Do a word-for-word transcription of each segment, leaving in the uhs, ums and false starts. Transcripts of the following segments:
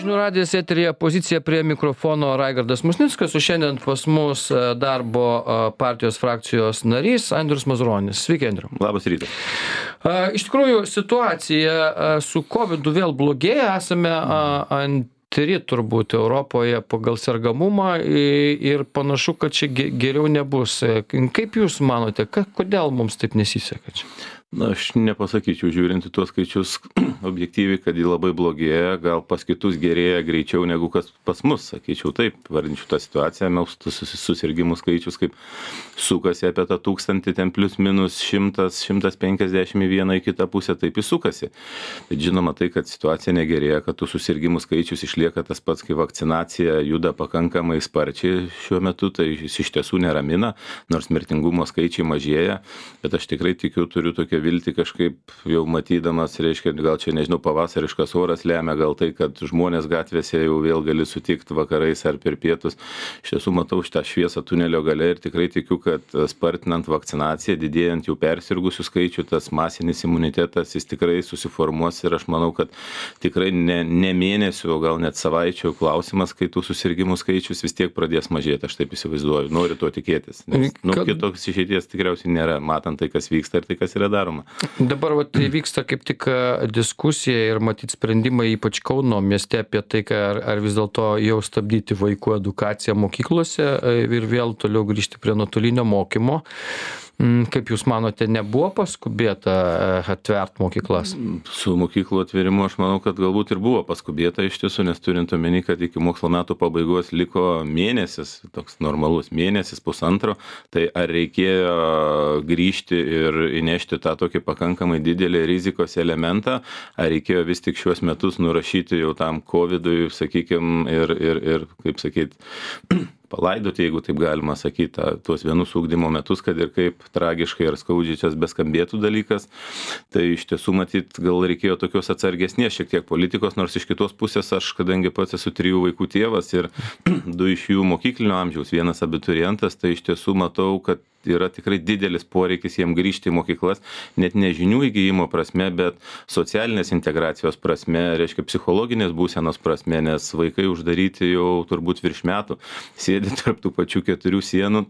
Žinių radijas eteryje, pozicija prie mikrofono Raigardas Musnickas, o šiandien pas mus darbo partijos frakcijos narys Andrius Mazuronis. Sveiki, Andriu. Labas rytas. Iš tikrųjų, situacija su kovidu vėl blogėja, esame antri turbūt Europoje pagal sergamumą ir panašu, kad čia geriau nebus. Kaip Jūs manote, kodėl mums taip nesiseka čia? Na, aš nepasakyčiau, žiūrint į tuos skaičius objektyviai, kad jį labai blogėja, gal pas kitus gerėja greičiau negu kas pas mus, sakyčiau taip, vardinčiau tą situaciją, mes susirgimų skaičius kaip sukasi apie tą tūkstantį, ten plius minus šimtas, šimtas penkiasdešimt į vieną į kitą pusę, taip jis sukasi. Bet žinoma tai, kad situacija negerėja, kad tų susirgimų skaičius išlieka tas pats, kai vakcinacija juda pakankamai sparčiai šiuo metu, tai jis iš tiesų neramina, nors mirtingumo skaičiai mažėja, bet aš tikrai tikiu, turiu tokią viltį kažkaip jau matydamas, reiškia, gal čia, nežinau, pavasariškas oras lemia, gal tai, kad žmonės gatvėse jau vėl gali sutikti vakarais ar per pietus. Iš tiesų matau šitą šviesą tunelio gale ir tikrai tikiu, kad spartinant vakcinaciją, didėjant jau persirgusių skaičių, tas masinis imunitetas, jis tikrai susiformuos ir aš manau, kad tikrai ne, ne mėnesių, o gal net savaičių klausimas, kai tų susirgimų skaičius vis tiek pradės mažėti, aš taip įsivaizduoju, noriu to tikėtis. Nes, nu, kitoks išeities tikriausiai nėra, matant tai, kas vyksta ir tai, kas yra daroma. Dabar vat, vyksta kaip tik diskusija ir matyt sprendimai ypač Kauno mieste apie tai, ar, ar vis dėlto jau stabdyti vaikų edukaciją mokyklose ir vėl toliau grįžti prie nuotolinio mokymo. Kaip Jūs manote, nebuvo paskubėta atvert mokyklas? Su mokyklų atverimu aš manau, kad galbūt ir buvo paskubėta iš tiesų, nes turint omeny, kad iki mokslo metų pabaigos liko mėnesis, toks normalus mėnesis, pusantro, tai ar reikėjo grįžti ir įnešti tą tokį pakankamai didelį rizikos elementą, ar reikėjo vis tik šiuos metus nurašyti jau tam covidui, sakykime, ir, ir, ir kaip sakyti, palaidoti, jeigu taip galima sakyti, tuos vienus ugdymo metus, kad ir kaip tragiškai ar skaudžiai čia beskambėtų dalykas, tai iš tiesų matyt, gal reikėjo tokios atsargesnės šiek tiek politikos, nors iš kitos pusės aš, kadangi pats esu trijų vaikų tėvas ir du iš jų mokyklinio amžiaus, vienas abiturientas, tai iš tiesų matau, kad yra tikrai didelis poreikis jiem grįžti į mokyklas, net ne žinių įgyjimo prasme, bet socialinės integracijos prasme, reiškia psichologinės būsenos prasme, nes vaikai uždaryti jau turbūt virš metų, sėdi tarp tų pačių keturių sienų,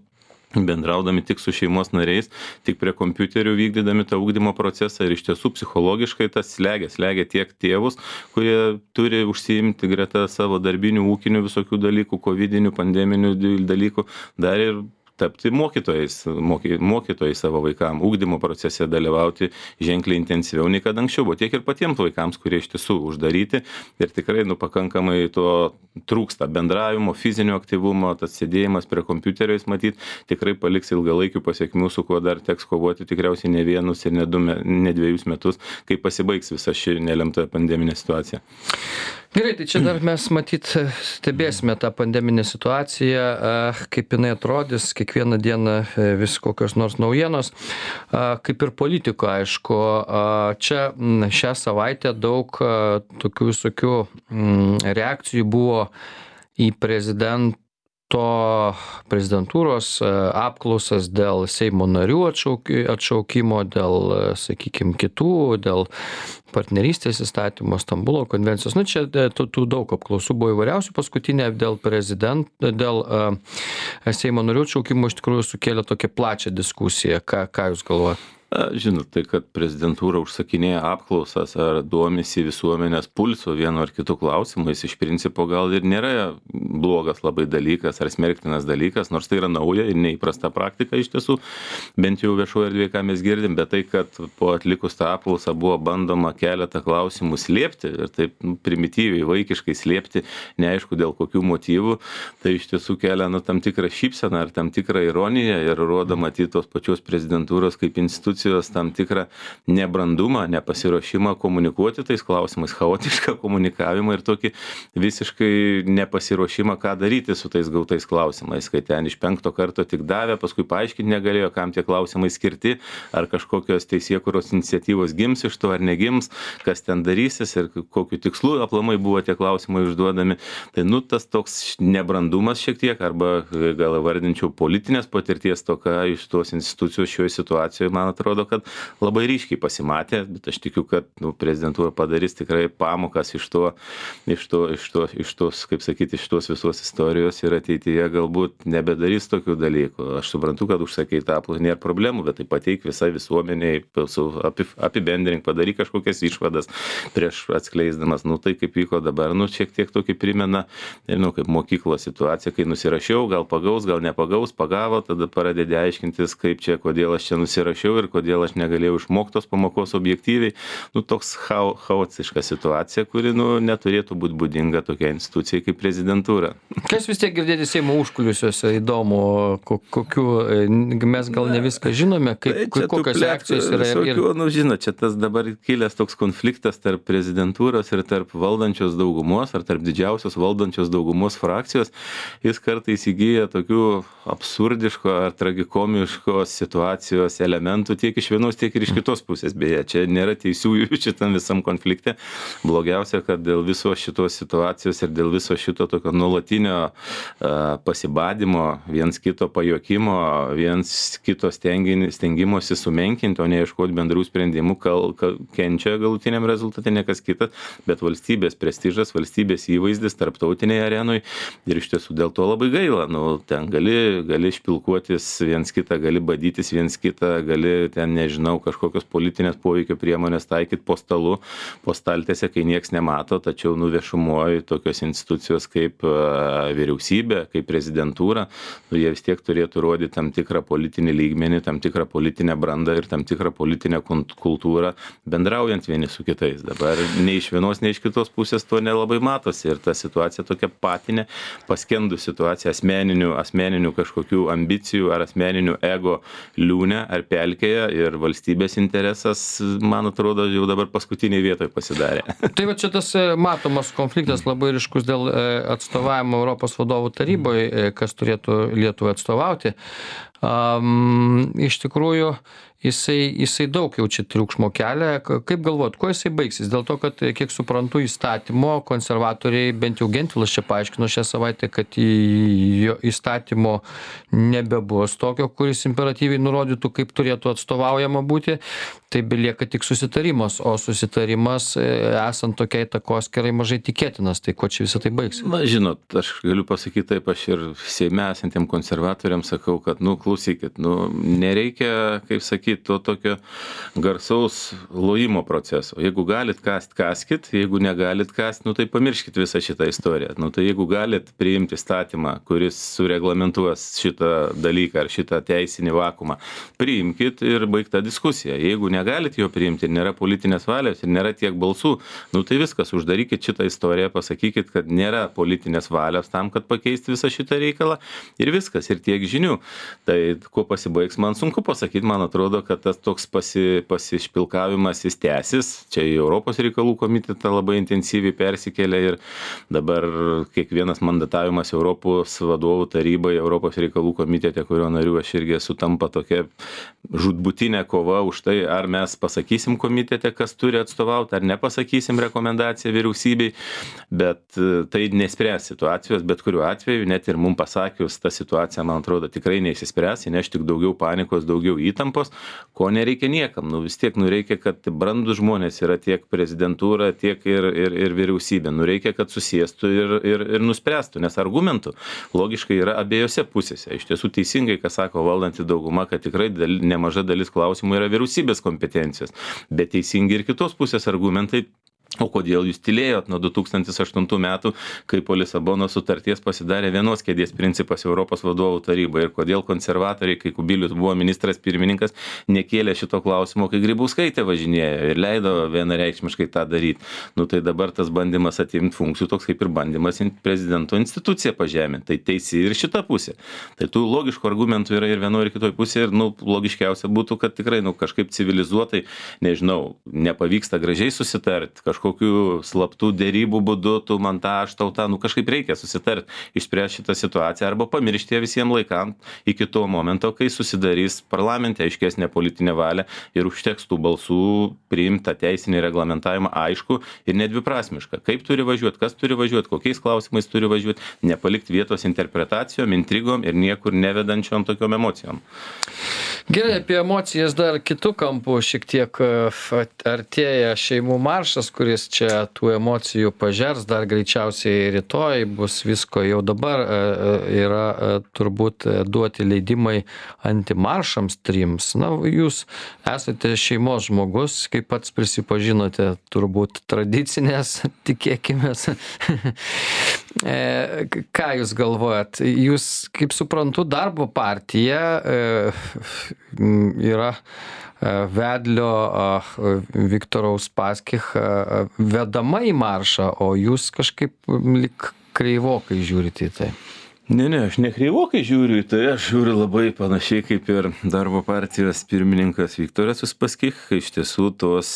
bendraudami tik su šeimos nariais, tik prie kompiuterių vykdydami tą ugdymo procesą ir iš tiesų psichologiškai tas slegia, slegia tiek tėvus, kurie turi užsiimti greta savo darbinių, ūkinių visokių dalykų, covidinių, pandeminių dalykų, dar ir tapti mokytojais, moky, mokytojai savo vaikams, ugdymo procese dalyvauti ženkliai intensyviau nei kad anksčiau, buvo tiek ir patiems vaikams, kurie iš tiesų uždaryti ir tikrai nu, pakankamai to trūksta bendravimo, fizinio aktyvumo, tas sėdėjimas prie kompiuterio, jis matyt, tikrai paliks ilgalaikių pasiekmių, su kuo dar teks kovoti tikriausiai ne vienus ir ne, du, ne dviejus metus, kai pasibaigs visa ši nelemta pandeminė situacija. Gerai, tai čia dar mes matyt stebėsime tą pandeminę situaciją, kaip jinai atrodys, kiekvieną dieną vis kokios nors naujienos, kaip ir politiko, aišku. Čia šią savaitę daug tokių visokių reakcijų buvo į prezidentą to prezidentūros apklausas dėl Seimo narių atšaukimo, dėl, sakykime, kitų, dėl partnerystės įstatymo, Stambulo konvencijos. Nu, čia tų, tų daug apklausų buvo įvairiausių. Paskutinė dėl prezidento, dėl uh, Seimo narių atšaukimo iš tikrųjų sukėlė tokią plačią diskusiją. Ką, ką Jūs galvojate? Žinot, tai kad prezidentūra užsakinėja apklausas ar duomisi visuomenės pulso vienu ar kitu klausimu, jis iš principo gal ir nėra blogas labai dalykas ar smerktinas dalykas, nors tai yra nauja ir neįprasta praktika iš tiesų, bent jau viešoje erdvėje, ką mes girdim, bet tai, kad po atlikus tą apklausą buvo bandoma keletą klausimų slėpti ir taip nu, primityviai, vaikiškai slėpti, neaišku dėl kokių motyvų, tai iš tiesų kelia nu, tam tikrą šypseną ar tam tikrą ironiją ir rodo matyti tos pačios prezidentūros kaip institucijos tam tikrą nebrandumą, nepasiruošimą komunikuoti tais klausimais, chaotišką komunikavimą ir tokį visiškai nepasiruošimą, ką daryti su tais gautais klausimais, kai ten iš penkto karto tik davė, paskui paaiškinti negalėjo, kam tie klausimai skirti, ar kažkokios teisėkūros iniciatyvos gims iš to ar negims, kas ten darysis ir kokiu tikslu aplamai buvo tie klausimai užduodami. Tai nu tas toks nebrandumas šiek tiek, arba gal vardinčiau politinės patirties toka iš tos institucijos šioje situacijoje, man atrodo, atrodo, kad labai ryškiai pasimatė, bet aš tikiu, kad nu, prezidentūra padarys tikrai pamokas iš to, iš to, iš to, iš tos, kaip sakyti, iš tos visos istorijos ir ateityje galbūt nebedarys tokių dalykų. Aš suprantu, kad užsakai tą apklausą, nėra problemų, bet tai pateik visai visuomeniai, apibendrink, padaryk kažkokias išvadas prieš atskleisdamas. Nu tai kaip vyko dabar, nu šiek tiek tokį primena, nežinau, kaip mokyklos situacija, kai nusirašiau, gal pagaus, gal nepagaus, pagavo, tada pradedi aiškintis, kaip čia, kodėl aš čia nusirašiau ir kodėl aš negalėjau išmoktos pamokos objektyviai. Nu toks chao, chaotiška situacija, kuri nu, neturėtų būti būdinga tokia institucija kaip prezidentūra. Kas vis tiek girdėti Seimo užkulisiuose, įdomu, kokiu, mes gal ne viską žinome, kaip, tai kokios reakcijos yra. Ir, ir... Nu, žinot, čia tas dabar kilęs toks konfliktas tarp prezidentūros ir tarp valdančios daugumos, ar tarp didžiausios valdančios daugumos frakcijos, jis kartais įgyja tokių absurdiško ar tragikomiškos situacijos elementų tiek iš vienos, tiek ir iš kitos pusės. Beje, čia nėra teisiųjų šitam visam konflikte. Blogiausia, kad dėl viso šitos situacijos ir dėl viso šito tokio nuolatinio uh, pasibadimo, viens kito pajokimo, viens kito stengimosi sumenkinti, o ne ieškoti bendrų sprendimų, kal, kal, kenčia galutiniam rezultate ne kas kitas, bet valstybės prestižas, valstybės įvaizdis tarptautinėje arenoje ir iš tiesų dėl to labai gaila. Nu, ten gali, gali špilkuotis viens kitą, gali badytis viens kitą, gali ten, nežinau, kažkokios politinės poveikio priemonės taikyti po stalu, po staltėse, kai nieks nemato, tačiau nu viešumoje tokios institucijos kaip uh, vyriausybė, kaip prezidentūra, nu, jie vis tiek turėtų rodyti tam tikrą politinį lygmenį, tam tikrą politinę brandą ir tam tikrą politinę kultūrą, bendraujant vieni su kitais. Dabar nei iš vienos, nei iš kitos pusės to nelabai matosi ir ta situacija tokia patinė, paskendų situacija asmeninių, asmeninių kažkokių ambicijų ar asmeninių ego liūne ar pelkėje ir valstybės interesas, man atrodo, jau dabar paskutiniai vietoje pasidarė. Tai va čia tas matomas konfliktas labai ryškus dėl atstovavimo Europos vadovų taryboje, kas turėtų Lietuvai atstovauti. Um, iš tikrųjų, jisai, jisai daug jau čia triukšmo kelia. Kaip galvot, kuo jisai baigsis? Dėl to, kad, kiek suprantu, įstatymo konservatoriai, bent jau Gentvilas čia paaiškino šią savaitę, kad jo įstatymo nebebus tokio, kuris imperatyviai nurodytų, kaip turėtų atstovaujama būti. Tai belieka tik susitarimas, o susitarimas esant tokiai takoskerai mažai tikėtinas. Tai kuo čia visą tai baigsis? Na, žinot, aš galiu pasakyti taip, aš ir Seime esantiem konservatoriams sakau, kad, nu, klausykit, nu, nereikia, kaip sakyti, to tokio garsaus lojimo proceso. Jeigu galit kast, kaskit, jeigu negalit kast, nu, tai pamirškit visą šitą istoriją. Nu, tai jeigu galit priimti statymą, kuris sureglamentuos šitą dalyką ar šitą teisinį vakumą, priimkit ir baigta diskusija. Jeigu negalit jo priimti ir nėra politinės valios ir nėra tiek balsų, nu tai viskas, uždarykit šitą istoriją, pasakykit, kad nėra politinės valios tam, kad pakeisti visą šitą reikalą ir viskas, ir tiek žinių. Tai kuo pasibaigs, man sunku pasakyti, man atrodo, kad tas toks pasi, pasišpilkavimas jis tęsis, čia į Europos reikalų komitetą labai intensyviai persikėlė ir dabar kiekvienas mandatavimas Europos vadovų tarybai, Europos reikalų komitete, kurio nariu aš irgi esu, tampa tokia žūtbūtinė kova už tai, ar mes pasakysim komitete, kas turi atstovauti, ar nepasakysim rekomendaciją vyriausybei, bet tai nespręs situacijos, bet kuriuo atveju, net ir mums pasakius, ta situacija, man atrodo, tikrai neišsispręs, įneš tik daugiau panikos, daugiau įtampos, ko nereikia niekam. Nu, vis tiek, nu, reikia, kad brandus žmonės yra tiek prezidentūra, tiek ir, ir, ir vyriausybė. Nu, reikia, kad susėstų ir, ir, ir nuspręstų, nes argumentų logiškai yra abiejose pusėse. Iš tiesų teisingai, ką sako valdanti dauguma, kad tikrai dal, nemaža dalis klausimų yra vyriausybės kompetencijos, bet teisingi ir kitos pusės argumentai. O kodėl jūs tylėjot nuo du tūkstantis aštuntų metų, kai po Lisabonos sutarties pasidarė vienos kėdės principas Europos vadovų tarybai ir kodėl konservatoriai, kai Kubilius buvo ministras pirmininkas, nekėlė šito klausimo, kai Grybauskaitė važinėjo ir leido vienareikšmiškai tą daryti. Nu tai dabar tas bandymas atimti funkcijų toks kaip ir bandymas prezidento instituciją pažeminti. Tai teisi ir šita pusė. Tai tų logiškų argumentų yra ir vienoje ir kitoje pusėje ir nu, logiškiausia būtų, kad tikrai nu, kažkaip civilizuotai, nežinau, nepavyksta gražiai susitarti, kažkaip kažkokiu slaptų dėrybų būdu, tu man tą, aš tau tą, nu kažkaip reikia susitarti, išspręsti šitą situaciją arba pamiršti ją visiems laikam iki to momento, kai susidarys parlamente aiškesnė politinė valia ir užteks tų balsų priimti tą teisinį reglamentavimą aišku ir nedviprasmišką. Kaip turi važiuoti, kas turi važiuoti, kokiais klausimais turi važiuoti, nepalikti vietos interpretacijom, intrigom ir niekur nevedančiom tokiom emocijom. Gerai, apie emocijas dar kitų kampų šiek tiek artėja šeimų maršas, kuris čia tų emocijų pažers, dar greičiausiai rytoj bus visko, jau dabar yra turbūt duoti leidimai antimaršams trims. Na, jūs esate šeimos žmogus, kaip pats prisipažinote, turbūt tradicinės, tikėkimės. Ką jūs galvojat? Jūs, kaip suprantu, Darbo partija yra vedlio Viktoro Uspaskich vedama į maršą, o jūs kažkaip lyg kreivokai žiūrite į tai. Ne, ne, aš nekreivokai žiūriu į tai, aš žiūriu labai panašiai kaip ir Darbo partijos pirmininkas Viktoras Uspaskich, iš tiesų tos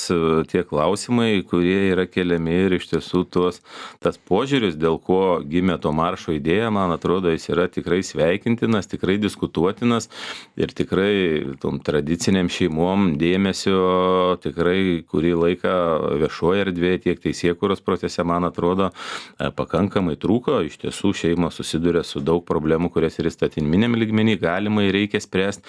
tie klausimai, kurie yra keliami ir iš tiesų tos, tas požiūris, dėl ko gimė to maršo idėja, man atrodo, jis yra tikrai sveikintinas, tikrai diskutuotinas ir tikrai tom tradiciniam šeimom dėmesio tikrai kurį laiką viešoje erdvėje, tiek teisėkūros procese, man atrodo, pakankamai trūko, iš tiesų šeima susiduria su daug problemų, kurias ir įstatyminiam lygmenį galima ir reikia spręsti.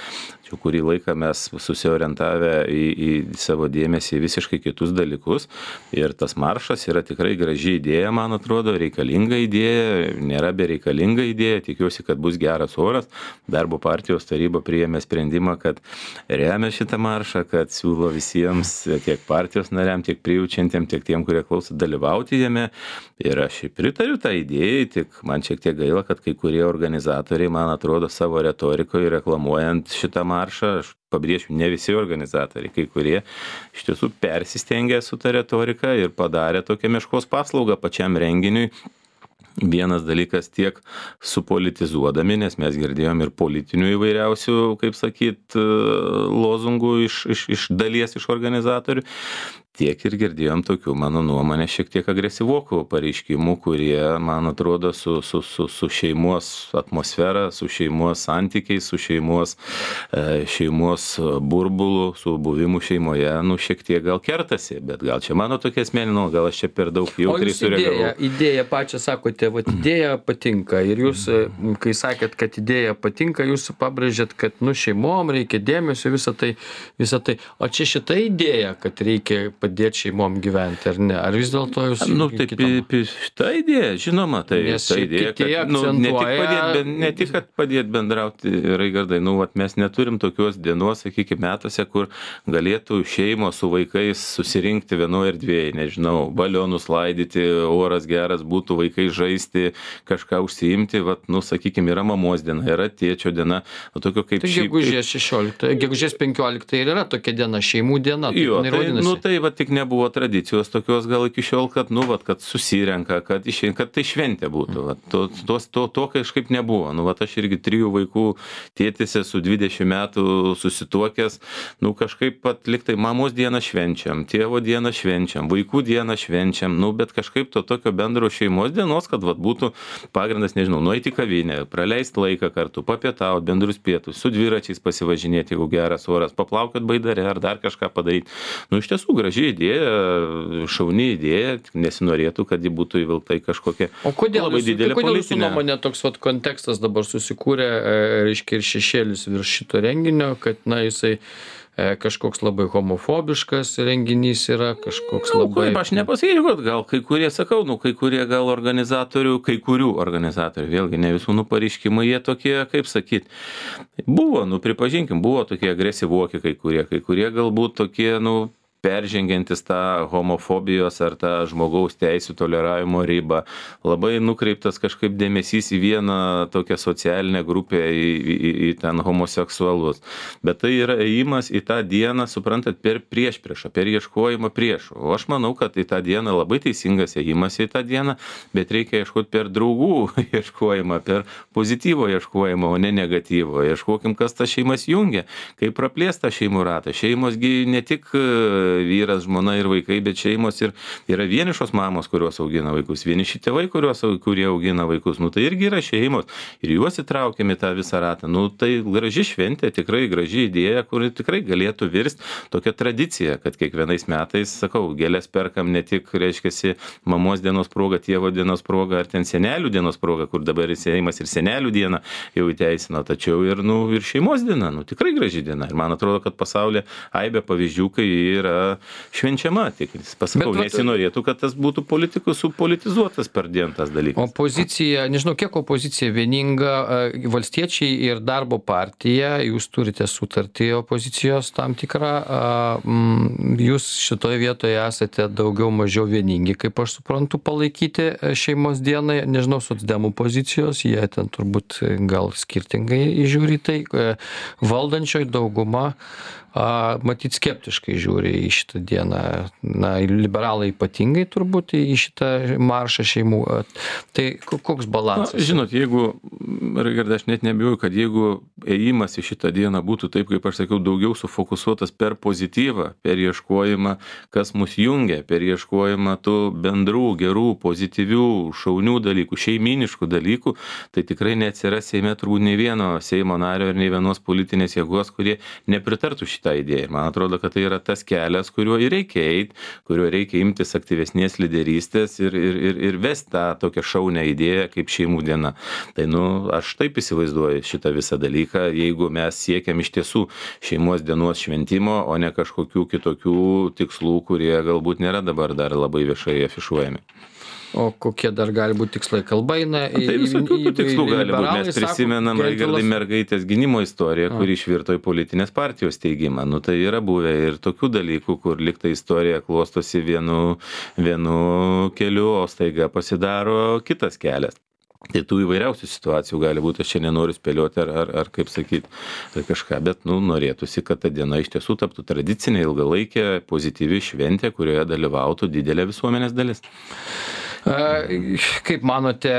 Čia kurį laiką mes susiorientavę į, į savo dėmesį į visiškai kitus dalykus. Ir tas maršas yra tikrai graži idėja, man atrodo, reikalinga idėja, nėra bereikalinga idėja. Tikiuosi, kad bus geras oras. Darbo partijos taryba priėmė sprendimą, kad remia šitą maršą, kad siūlo visiems, tiek partijos nariam, tiek prijaučiantiem, tiek tiem, kurie klauso, dalyvauti jame. Ir aš pritariu tą idėją, tik man šiek tiek gaila, kad kai kurie organizatoriai, man atrodo, savo retorikoje reklamuojant šitą maršą, aš pabrėšiu, ne visi organizatoriai, kai kurie iš tiesų persistengė su ta retorika ir padarė tokią meškos paslaugą pačiam renginiui. Vienas dalykas tiek supolitizuodami, nes mes girdėjom ir politinių įvairiausių, kaip sakyt, lozungų iš, iš, iš dalies iš organizatorių. Tiek ir girdėjom tokių, mano nuomonė, šiek tiek agresyvokų pareiškimų, kurie, man atrodo, su, su, su, su šeimos atmosfera, su šeimos santykiais, su šeimos, šeimos burbulu, su buvimu šeimoje, nu, šiek tiek gal kertasi, bet gal čia mano tokia asmeninė, gal aš čia per daug jautriai sureagavau. O jūs idėją pačią sakote, vat idėja patinka ir jūs, kai sakėt, kad idėja patinka, jūs pabrėžėt, kad, nu, šeimom reikia dėmesio, visą tai, visą tai. O čia šita idėja, kad reikia padėti šeimom gyventi, ar ne? Ar vis dėlto jūs... Nu, taip, šitą idėją, žinoma, tai ta idėja, kad, nu, ne tik padėti, ben, ne tik, kad padėti bendrauti, Raigardai, nu, vat, mes neturim tokios dienos, sakykime, metuose, kur galėtų šeimos su vaikais susirinkti vienoje erdvėje, nežinau, balionus laidyti, oras geras būtų, vaikai žaisti, kažką užsiimti, vat, nu, sakykime, yra mamos diena, yra tėčio diena, nu, tokio kaip tai šį... Gegužės šešioliktą, gegužės penkioliktą ir yra tokia diena, šeimų diena. Jo, tai, nu, tai, va, tik nebuvo tradicijos tokios gal iki šiol, kad, nu, vat, kad susirenka, kad, išė, kad tai šventė būtų. Vat, to, to, to, to kažkaip nebuvo. Nu, vat, aš irgi trijų vaikų tėtis esu dvidešimt metų susituokęs. Nu, kažkaip pat liktai mamos dieną švenčiam, tėvo dieną švenčiam, vaikų dieną švenčiam. Nu, bet kažkaip to tokio bendro šeimos dienos, kad vat, būtų pagrindas, nežinau, nueiti į kavinę, praleisti laiką kartu, papietauti, bendrus pietus, su dviračiais pasivažinėti, jeigu geras oras, paplaukiot baidare ar dar kažką padaryti. Nu, iš tiesų graži idėja, šauni idėja, nesinorėtų, kad ji būtų įvilkta į kažkokią labai didelę politinę. Kodėl jūsų nuomonė toks vat kontekstas dabar susikūrė, reiškia, ir šešėlis virš šito renginio, kad, na, jisai kažkoks labai homofobiškas renginys yra, kažkoks labai... Aš nepasakyčiau, kad gal kai kurie, sakau, nu, kai kurie gal organizatorių, kai kurių organizatorių, vėlgi ne visų nu pareiškimai, jie tokie, kaip sakyt, buvo, nu, pripažinkim, buvo tokie agresyvuoki kai kurie, kai kurie galbūt tokie, nu, peržengiantis tą homofobijos ar tą žmogaus teisių toleravimo ribą, labai nukreiptas kažkaip dėmesys į vieną tokią socialinę grupę, į, į, į ten homoseksualus. Bet tai yra ėjimas į tą dieną, suprantat, per priešpriešą, per ieškojimą priešų. O aš manau, kad į tą dieną labai teisingas ėjimas į tą dieną, bet reikia ieškoti per draugų ieškojimą, per pozityvo ieškojimą, o ne negatyvo. Ieškokim, kas tas šeimas jungia, kaip praplėsta šeimų ratą. Šeimosgi ne tik vyras, žmona ir vaikai, bet šeimos ir yra vienišos mamos, kurios augina vaikus, vieniši tėvai, kurios, kurie augina vaikus, nu tai irgi yra šeimos ir juos įtraukiami tą visą ratą. Nu tai graži šventė, tikrai graži idėja, kuri tikrai galėtų virsti tokia tradicija, kad kiekvienais metais, sakau, gėlės perkam ne tik, reiškia, mamos dienos proga, tėvo dienos proga ar ten senelių dienos proga, kur dabar Seimas ir senelių dieną jau įteisino, tačiau ir, nu, ir šeimos diena, nu, tikrai graži diena. Ir man atrodo, kad pasaulyje aibė pavyzdžių, kai yra švenčiama. Tik pasakau, Bet, nesinorėtų, kad tas būtų politikų supolitizuotas per dieną tas dalykas. Opozicija, nežinau, kiek opozicija vieninga, valstiečiai ir darbo partija, jūs turite sutartį opozicijos tam tikrą, jūs šitoje vietoje esate daugiau mažiau vieningi, kaip aš suprantu, palaikyti šeimos dienai, nežinau, socdemų pozicijos, jie ten turbūt gal skirtingai žiūri tai, valdančioji dauguma a, matyt skeptiškai žiūri į šitą dieną, na, liberalai ypatingai turbūt į šitą maršą šeimų. Tai koks balansas? Na, žinot, jeigu, Raigardai, aš net nebijoju, kad jeigu ėjimas į šitą dieną būtų taip, kaip aš sakiau, daugiau sufokusuotas per pozityvą, per ieškojimą, kas mus jungia, per ieškojimą tų bendrų, gerų, pozityvių, šaunių dalykų, šeiminiškų dalykų, tai tikrai neatsiras Seime turbūt nei vieno Seimo nario ir nei vienos politinės jėgos, kurie nepritartų šitą idėją. Man atrodo, kad tai yra tas kelias, kuriuo ir reikia eiti, kuriuo reikia imtis aktyvesnės lyderystės ir, ir, ir, ir vesti tą tokią šaunę idėją kaip šeimų diena. Tai, nu, aš taip įsivaizduoju šitą visą dalyką, jeigu mes siekiam iš tiesų šeimos dienos šventimo, o ne kažkokių kitokių tikslų, kurie galbūt nėra dabar dar labai viešai afišuojami. O kokie dar gali būti tikslai? Kalba eina į... Tai visokių tų tikslų gali būti. Mes prisimenam, Raigardai, mergaitės gynimo istoriją, kuri išvirto į politinės partijos steigimą. Nu, tai yra buvę ir tokių dalykų, kur likta istorija klostosi vienu, vienu keliu, o staiga pasidaro kitas kelias. Tai tų įvairiausių situacijų gali būti, aš čia nenoriu spėlioti ar, ar, ar kaip sakyti, ar kažką, bet, nu, norėtųsi, kad ta diena iš tiesų taptų tradicinė, ilgalaikė, pozityvi šventė, kurioje dalyvautų didelė visuomenės dalis. Kaip manote,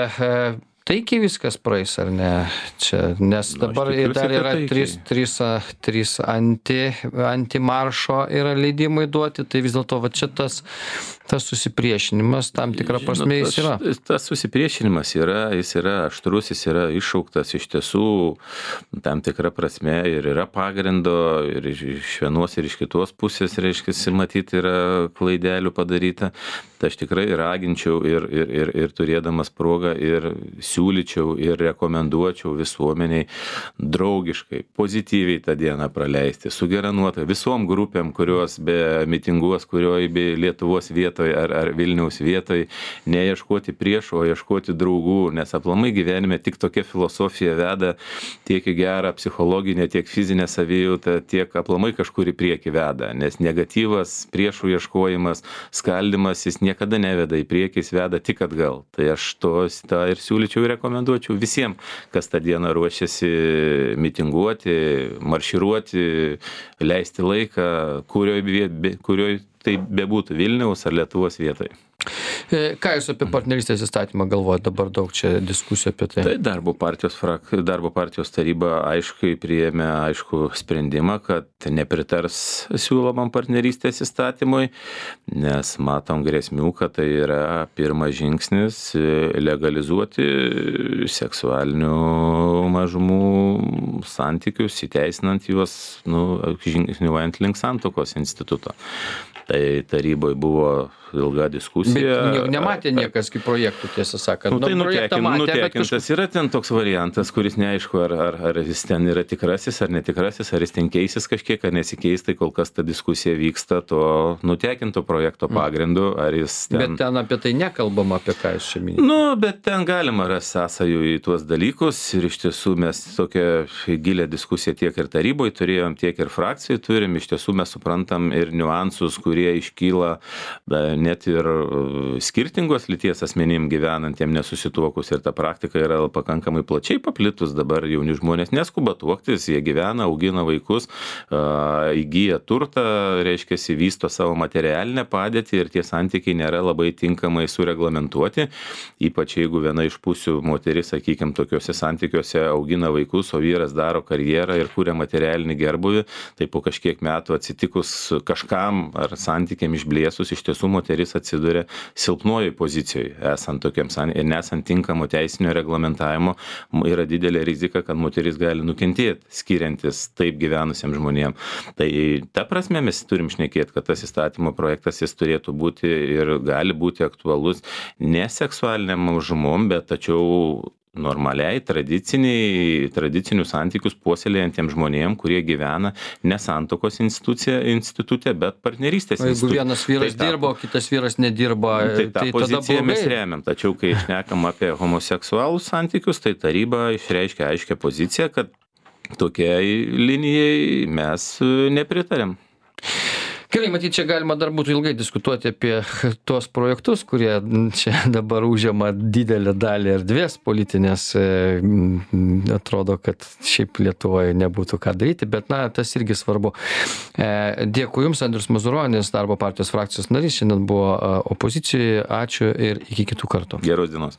taikiai viskas praeis ar ne? Čia, nes dabar tikiuosi, dar yra trys, trys, trys anti, antimaršo yra leidimai duoti, tai vis dėlto va čia tas, tas susipriešinimas tam tikrą prasme jis yra. Tas, tas susipriešinimas yra, jis yra aštrus, jis yra iššauktas iš tiesų tam tikrą prasme ir yra pagrindo ir iš vienos ir iš kitos pusės, reiškia, matyti yra klaidelių padaryta. Tai aš tikrai raginčiau ir, ir, ir, ir turėdamas progą ir siūlyčiau ir rekomenduočiau visuomeniai draugiškai, pozityviai tą dieną praleisti, su gera nuotaika, visom grupėm, kurios be mitinguos, kurioj be Lietuvos vietoj ar, ar Vilniaus vietoj, neieškoti priešų, o ieškoti draugų, nes aplamai gyvenime tik tokia filosofija veda tiek į gerą psichologinę, tiek fizinę savijautą, tiek aplamai kažkur į priekį veda, nes negatyvas, priešų ieškojimas, skaldimas, jis niekada neveda į priekį, jis veda tik atgal. Tai aš to tą ir siūlyčiau ir rekomenduočiau visiems, kas tą dieną ruošiasi mitinguoti, marširuoti, leisti laiką, kurioj, kurioj tai bebūtų Vilniaus ar Lietuvos vietoje. Ką jūs apie partnerystės įstatymą galvojate? Dabar daug čia diskusijų apie tai. Tai darbo partijos, frak, darbo partijos taryba aiškiai priėmė aišku sprendimą, kad nepritars siūlomam partnerystės įstatymui, nes matom grėsmių, kad tai yra pirmas žingsnis legalizuoti seksualinių mažumų santykius, įteisinant juos, nu, žingsniuojant link santuokos instituto. Tai taryboje buvo ilga diskusija. Bet nematė niekas kaip projektų, tiesą sakant. Nu, tai nutekin, matė, nutekintas kažkur... yra ten toks variantas, kuris neaišku, ar, ar, ar jis ten yra tikrasis, ar netikrasis, ar jis ten keisis kažkiek, ar nesikeis, tai kol kas ta diskusija vyksta to nutekinto projekto pagrindu, ar jis ten... Bet ten apie tai nekalbama, apie ką jūs čia minite. Nu, bet ten galima rasti sąsajų į tuos dalykus ir iš tiesų mes tokią gilę diskusiją tiek ir taryboje turėjom, tiek ir frakcijai turim, iš tiesų mes suprantam ir niuansus, kurie iškyla net ir skirtingos lyties asmenim gyvenantiem nesusituokus ir ta praktika yra pakankamai plačiai paplitus. Dabar jauni žmonės neskuba tuoktis, jie gyvena, augina vaikus, įgyja turtą, reiškia, vysto savo materialinę padėtį ir tie santykiai nėra labai tinkamai sureglamentuoti, ypač jeigu viena iš pusių moteris, sakykime, tokiuose santykiuose augina vaikus, o vyras daro karjerą ir kuria materialinį gerbuvį, tai po kažkiek metų atsitikus kažkam ar santykiam išblėsus, iš tiesų moteris atsiduria silpnojoje pozicijoje, esant tokiam santykiam ir nesant tinkamo teisinio reglamentavimo, yra didelė rizika, kad moteris gali nukentėti, skiriantis taip gyvenusiems žmonėms. Tai ta prasme mes turim šnekėti, kad tas įstatymo projektas jis turėtų būti ir gali būti aktualus ne seksualiniam mažumom, bet tačiau normaliai, tradiciniai, tradicinius santykius puoselėjantiems žmonėms, kurie gyvena ne santuokos institute, bet partnerystės institute. Jeigu vienas vyras tai dirbo, o kitas vyras nedirba, tai tą tai poziciją tada mes remiam. Tačiau, kai šnekam apie homoseksualus santykius, tai taryba išreiškia aiškią poziciją, kad tokiai linijai mes nepritarėm. Gerai, matyt, čia galima dar būtų ilgai diskutuoti apie tuos projektus, kurie čia dabar užima didelę dalį erdvės politinės. Atrodo, kad šiaip Lietuvoje nebūtų ką daryti, bet na, tas irgi svarbu. Dėkui Jums, Andrius Mazuronis, Darbo partijos frakcijos narys, šiandien buvo opozicijoje. Ačiū ir iki kitų kartų. Geros dienos.